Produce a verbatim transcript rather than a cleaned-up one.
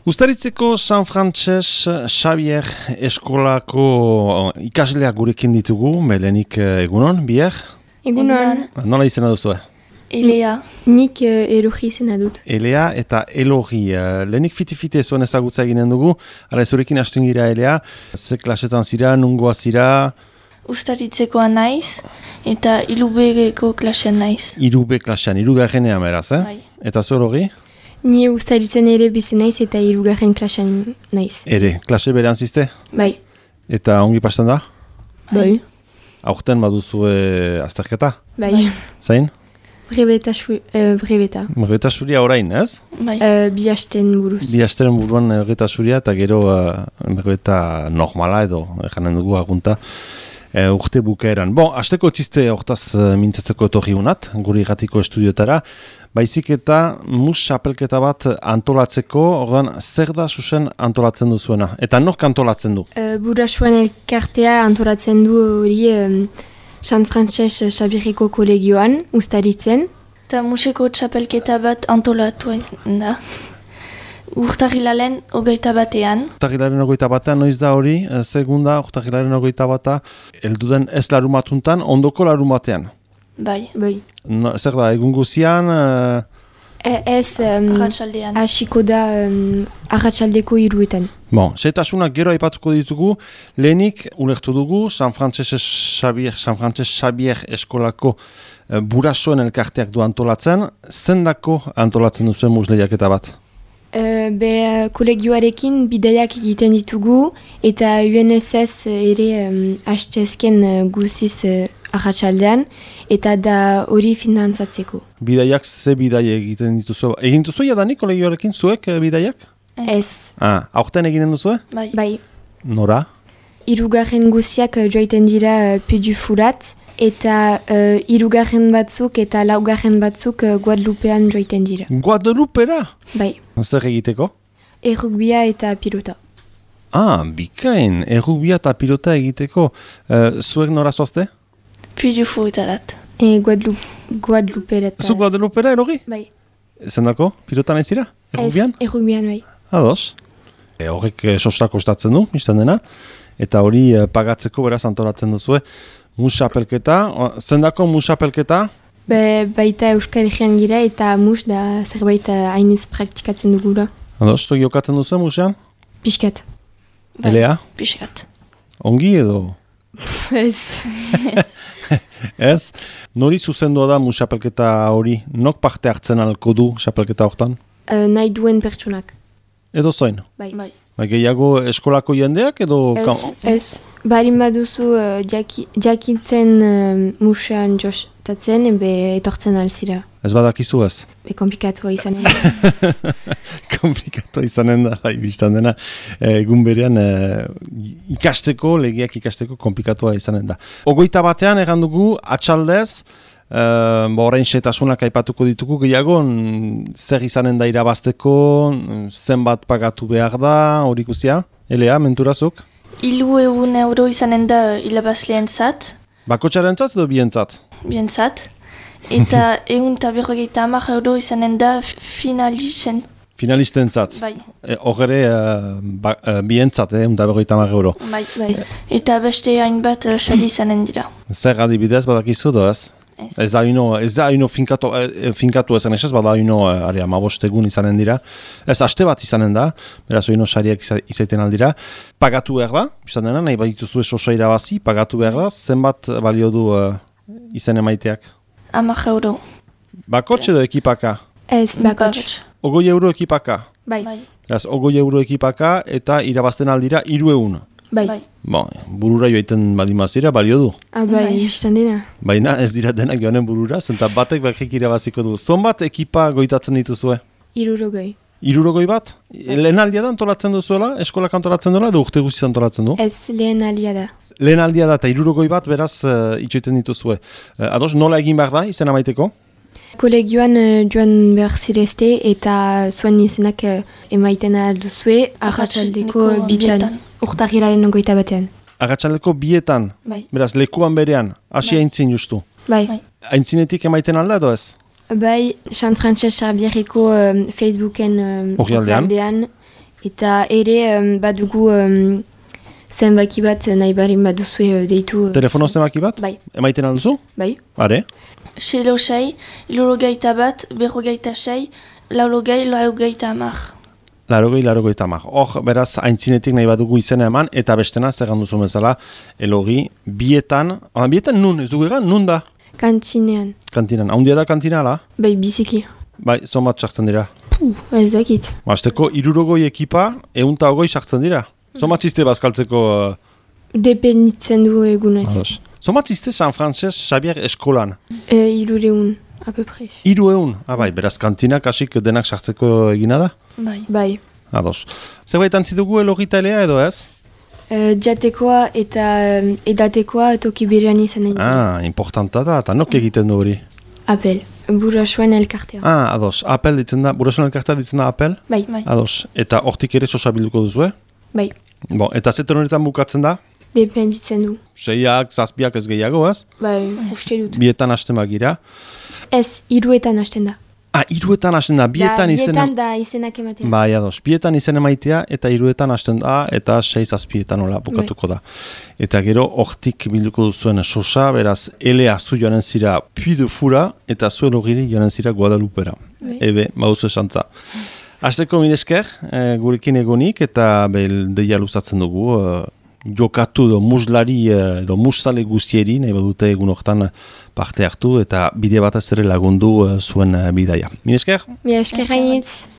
Uztaritzeko San Frances Xavier eskolako ikasleak gurekin ditugu, melenik egunon, bier? Egunon. Nola izena duzu? Elea. Nik uh, Elogi izena dut. Elea eta Elogi. Uh, lehenik fiti-fiti zuen ezagutza eginen dugu, ara zurekin hasten gira Elea, ze klasetan zira, nungoa zira? Uztaritzekoa naiz, eta irubegeko klasean naiz. Irube klasean, irugarrenean beraz, eh? Bai. Eta zu Elogi? Ni ustaritzen ere bizi naiz eta hirugarren klasean naiz. Ere, klase berean zizte? Bai. Eta ongi pasten da? Bai. Aurten baduzu e, azterketa? Bai. Zain? Brebeta, uh, brebeta. Brebeta suria orain, ez? Bai. Uh, bi hasten buruz. Bi hasteren buruan brebeta suria eta gero uh, brebeta normala edo, janen dugu agunta. E, urte bukaeran. Bon, hasteko txiste hortaz uh, mintzatzeko etorri unat, guri gatiko estudiotara. Baizik eta mus xapelketa bat antolatzeko, ordan zer da zuzen antolatzen duzuena? Eta nork antolatzen du? Uh, Burasuen elkartea antolatzen du hori um, San Frances Xavierreko kolegioan, ustaritzen. Eta museko txapelketa bat antolatu da. Urtarrilaren hogeita batean. Urtarrilaren hogeita batean, noiz da hori, segunda urtarrilaren hogeita bata, elduden ez larumatuntan, ondoko larumatean. Bai. Bai. No, zer da, egun guzian? Uh... E, ez um, Arratsaldean. hasiko da um, arratsaldeko hiruetan. Bon, setasunak gero aipatuko ditugu, lehenik ulertu dugu San Frances Xavier, San Frances Xavier eskolako uh, burasoen elkarteak du antolatzen, zendako antolatzen duzuen musleiaketa bat? Uh, be uh, kolegioarekin bidaiak egiten ditugu eta U N S S ere um, hastezken uh, guziz uh, arratsaldean eta da hori finantzatzeko. Bidaiak ze bidai egiten dituzu? Egin duzu jadanik kolegioarekin zuek uh, bidaiak? Ez. Ah, aurten eginen duzu? Bai. Bai. Nora? Hirugarren guziak uh, joiten dira uh, Pudufurat eta uh, hirugarren batzuk eta laugarren batzuk uh, Guadalupean joiten dira. Guadalupera? Bai. Zer egiteko? Errugbia eta pilota. Ah, bikain, errugbia eta pilota egiteko. Uh, zuek nora zoazte? Pudufurat. E Guadalupe, Guadalupe Zu Guadalupera, erogi? Bai. Zendako? Pilota nahi zira? Errugbian? Ez, errugbian, bai. Ados. E, horrek e, sostak ostatzen du, biztan dena. Eta hori e, pagatzeko beraz antolatzen duzue. Musapelketa. Zendako musapelketa? Be, baita Euskal Herrian gira eta mus da zerbait hainiz praktikatzen dugula. Ados, tu jokatzen duzu musean? Piskat. Bai. Elea? Piskat. Ongi edo? Ez. Ez? Nori zuzendua da musapelketa hori? Nok parte hartzen alko du xapelketa hortan? Uh, nahi duen pertsonak. Edo zoin? Bai. Bai. Ba, gehiago eskolako jendeak edo... Ez, ez. Barin baduzu uh, jaki, jakintzen uh, musean jostatzen, ebe etortzen alzira. Ez badakizu ez? Be komplikatua izanen da. Komplikatu izanen da, bai, biztan dena. Egun berean e, ikasteko, legiak ikasteko komplikatua izanen da. Ogoita batean egan dugu, atxaldez, e, ba, orain setasunak aipatuko ditugu, gehiago, zer izanen da irabazteko, zenbat pagatu behar da, hori guzia? Elea, menturazuk? Ilu egun euro izanen da ilabazleen zat. Bakotxaren zat edo bientzat? Bientzat. Eta egun eta berrogeita hamar euro izanen da finalisten. Finalisten zat. Bai. Horre, e, ba, e, bientzat, egun eta berrogeita hamar euro. Bai. Bai. Eta beste hainbat uh, sari izanen dira. Zer adibidez badakizu do ez? Ez. Ez da ino, ez da ino finkatu, eh, finkatu esan esaz, bada ino, eh, ari, amabostegun izanen dira. Ez, aste bat izanen da, beraz ino sariak iza, izaiten aldira. Pagatu behar da, bizan dena, nahi badituzue sosa irabazi, pagatu behar da, zenbat balio du uh, izen emaiteak? Hamar euro. Bakotx edo ekipaka? Ez, bakotx. Ogoi euro ekipaka? Bai. Bai. Beraz, ogoi euro ekipaka eta irabazten aldira hiru egun. Bai. Bai. Bon, burura joaiten balimazira, balio du. Ah, bai, Bai. biztan dena. Baina ez dira denak joanen burura, zenta batek bakrik irabaziko du. Zonbat ekipa goitatzen dituzue? Irurogoi. Irurogoi bat? Lehen aldia da antolatzen duzuela? Eskolak antolatzen duela edo urte guztiz antolatzen du? Ez, lehen alia da. Lehen aldia da eta irurogoi bat beraz uh, itxoiten dituzue. Uh, ados, nola egin behar da izena maiteko? Kolegioan uh, joan behar zirezte eta zuen izenak uh, emaiten alduzue arratsaldeko Arratsaldeko bitan. bietan. Urtarrilaren ogoita batean. Agatxaleko bietan, Bai. beraz lekuan berean, hasi Bai. aintzin justu. Bai. Bai. Aintzinetik emaiten alda edo ez? Bai, San Frances Xavierreko um, Facebooken um, Orrialdean. orrialdean Eta ere um, badugu um, zenbaki bat nahi barin baduzue deitu. Uh, Telefono zenbaki bat? Bai. Emaiten alduzu? Bai. Are? Selo sei, irurogeita bat, berrogeita sei, laurogei, laurogeita hamar. Larogei, larogeita hamar. Hor, beraz, aintzinetik nahi badugu izena eman, eta bestena, zer ganduzu bezala, Elogi, bietan, ah, bietan nun, ez dugu egan, nun da? Kantxinean. Kantinan. Haundia da kantina, ala? Bai, biziki. Bai, zonbat sartzen dira. Puh, ez dakit. Azteko, irurogoi ekipa, eunta ogoi sartzen dira. Zonbat txiste bazkaltzeko... Uh... Dependitzen du egunez. Ados. Zonbat txiste San Frances Xavier eskolan? E, irureun, a peu près. Iru eun? Ah, bai, beraz kantinak hasik denak sartzeko egina da? Bai. Bai. Ados. Zerbait antzidugu Elogita elea edo ez? E, jatekoa eta um, edatekoa toki berean izan nahi. Ah, importanta da, eta nok egiten du hori? Apel, burasuen elkartea. Ah, ados. Apel ditzen da, burasuen elkartea ditzen da apel? Bai. Bai. Ados. Eta hortik ere sosa bilduko duzu, Bai. Bon, eta zeten honetan bukatzen da? Dependitzen du. Seiak, zazpiak ez gehiago, ez? Bai, uste dut. Bietan hasten bagira. Ez, iruetan hasten da. Ah, iruetan hasten da, bietan da, izen... Bietan da izenak ematea. Bai, ados, bietan izen emaitea eta iruetan hasten da eta sei zazpietan hola bukatuko da. Eta gero, hortik bilduko duzuen sosa, beraz, elea zu joanen zira Puy de Fura eta zu Elogiri joanen zira Guadalupera. Bai. Ebe, bauzu esantza. Hasteko minesker, e, gurekin egonik eta behel deia luzatzen dugu, e, jokatu edo muslari edo musale guztieri, nahi badute egun hortan parte hartu eta bide batez ere lagundu e, zuen e, bidaia. Minesker? Mi esker gainitz.